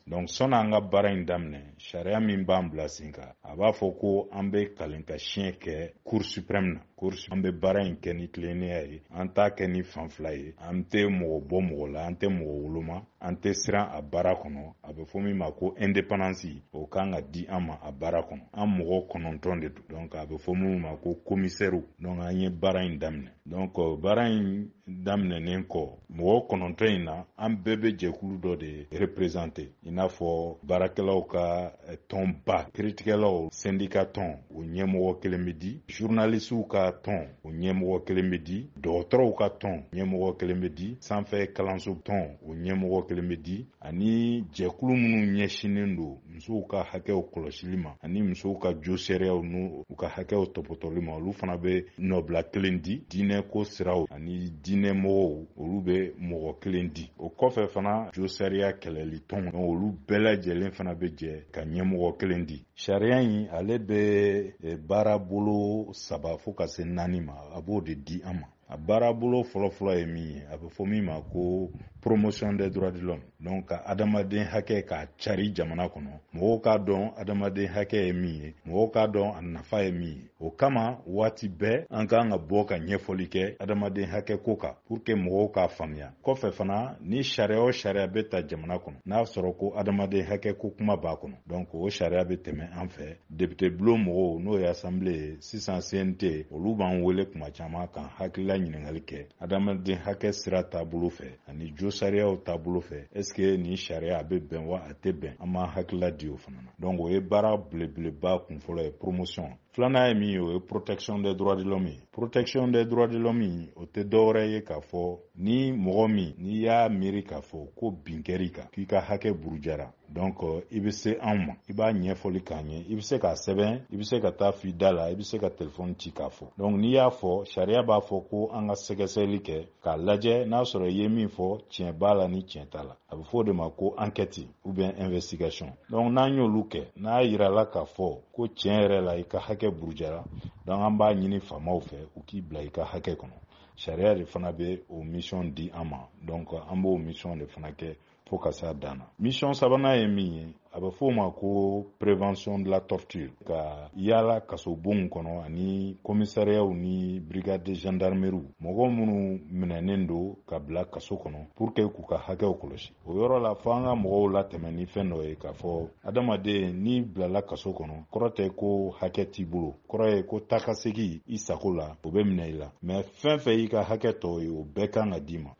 Donc sɔnni an ka baara in daminɛ, sariya min b'an bila sen kan, a b'a fɔ ko an bɛ kalen ka siɲɛ kɛ Cour suprême na. Cour, an bɛ baara in kɛ ni tilennenya ye, an t'a kɛ ni fan fila ye, an tɛ mɔgɔ bɔ mɔgɔ la, an tɛ mɔgɔ woloma, an tɛ siran a baara kɔnɔ. A bɛ fɔ min ma ko indépendance, o kan ka di an ma a baara kɔnɔ. An mɔgɔ 9 de don, donc a bɛ fɔ minnu ma ko commissaire. Donc an ye baara in daminɛ. Donc baara in daminɛnen kɔ, mɔgɔ 9 in na, an bɛɛ bɛ jɛkulu dɔ de représenter, i n'a fɔ baarakɛlaw ka tɔnba, kiiritigɛlaw syndicat tɔn, o ɲɛmɔgɔ kelen bɛ di, journalistew ka tɔn, o ɲɛmɔgɔ kelen bɛ di, dɔgɔtɔrɔw ka tɔn ɲɛmɔgɔ kelen bɛ di, sanfɛ kalanso tɔn, o ɲɛmɔgɔ kelen bɛ di, ani jɛkulu minnu ɲɛsinnen don musow ka hakɛw kɔlɔsili ma ani musow ka josariyaw n'u u ka hakɛw tɔpɔtɔli ma, olu fana bɛ nɔbila kelen di, diinɛko siraw ani diinɛmɔgɔw, olu bɛ mɔgɔ kelen di. O kɔfɛ fana, josariya kɛlɛli tɔn, olu bɛɛ lajɛlen fana bɛ jɛ ka ɲɛmɔgɔ kelen di. Sariya in, ale bɛ baarabolo saba fo ka se naani ma, a b'o de di an ma. A baarabolo fɔlɔfɔlɔ ye min ye, a bɛ fɔ min ma ko promotion des droits de l'homme, donc ka adamaden hakɛ k'a cari jamana kɔnɔ, mɔgɔw k'a dɔn adamaden hakɛ ye min ye, mɔgɔw k'a dɔn a nafa ye min ye. O kama, waati bɛɛ an k'an ka bɔ ka ɲɛfɔli kɛ adamaden hakɛ ko kan pour que mɔgɔw k'a faamuya. Kɔfɛ fana, ni sariya o sariya bɛ ta jamana kɔnɔ, n'a sɔrɔ ko adamaden hakɛ ko kuma b'a kɔnɔ, donc o sariya bɛ tɛmɛ an fɛ. Député bulon mɔgɔw, n'o ye assemblée ye sisan, CNT, olu b'an wele kuma caman k'an hakilila ɲininkali kɛ adamaden hakɛ sira taabolo fɛ ani jo sariyaw taabolo fɛ, est ce que nin sariya a bɛ bɛn wa a tɛ bɛn? An b'an hakilila di o fana na. Donc o ye baara belebeleba kunfɔlɔ ye, promotion. Filanan ye min ye, o ye protection des droits de l'homme ye. Protection des droits de l'homme, o tɛ dɔwɛrɛ ye k'a fɔ ni mɔgɔ min n'i y'a miiri k'a fɔ ko bin kɛr'i kan, k'i ka hakɛ burujara, donc i bɛ se anw ma, i b'a ɲɛfɔli k'an ye. I bɛ se k'a sɛbɛn, i bɛ se ka taa f'i da la, i bɛ se ka telefɔni ci k'a fɔ. Donc n'i y'a fɔ, sariya b'a fɔ ko an ka sɛgɛsɛgɛli kɛ k'a lajɛ n'a sɔrɔ i ye min fɔ, tiɲɛ b'a la ni tiɲɛ t'a la. A bɛ fɔ o de ma ko enquête ou bien investigation. Donc n'an y'olu kɛ, n'a yirala k'a fɔ ko tiɲɛ yɛrɛ la i ka hakɛ burujara, donc an b'a ɲini faamaw fɛ u k'i bila i ka hakɛ kɔnɔ. Sariya de fana bɛ o mission di an ma, donc an b'o mission de fana kɛ fo ka s'a dan na. Mission sabanan ye min ye, a bɛ f'o ma ko prévention de la torture, ka yaala kasobonw kɔnɔ ani commissariatw ni brigade de gendarmerie, mɔgɔ minnu minɛnen don ka bila kaso kɔnɔ, pour que k'u ka hakɛw kɔlɔsi. O yɔrɔ la, fo an ka mɔgɔw latɛmɛ ni fɛn dɔ ye k'a fɔ adamaden n'i bilala kaso kɔnɔ, kɔrɔ tɛ ko hakɛ t'i bolo, kɔrɔ ye ko taa ka segi i sago la, o bɛ minɛ i la, mais fɛn fɛn y'i ka hakɛ tɔ ye, o bɛɛ kan ka d'i ma.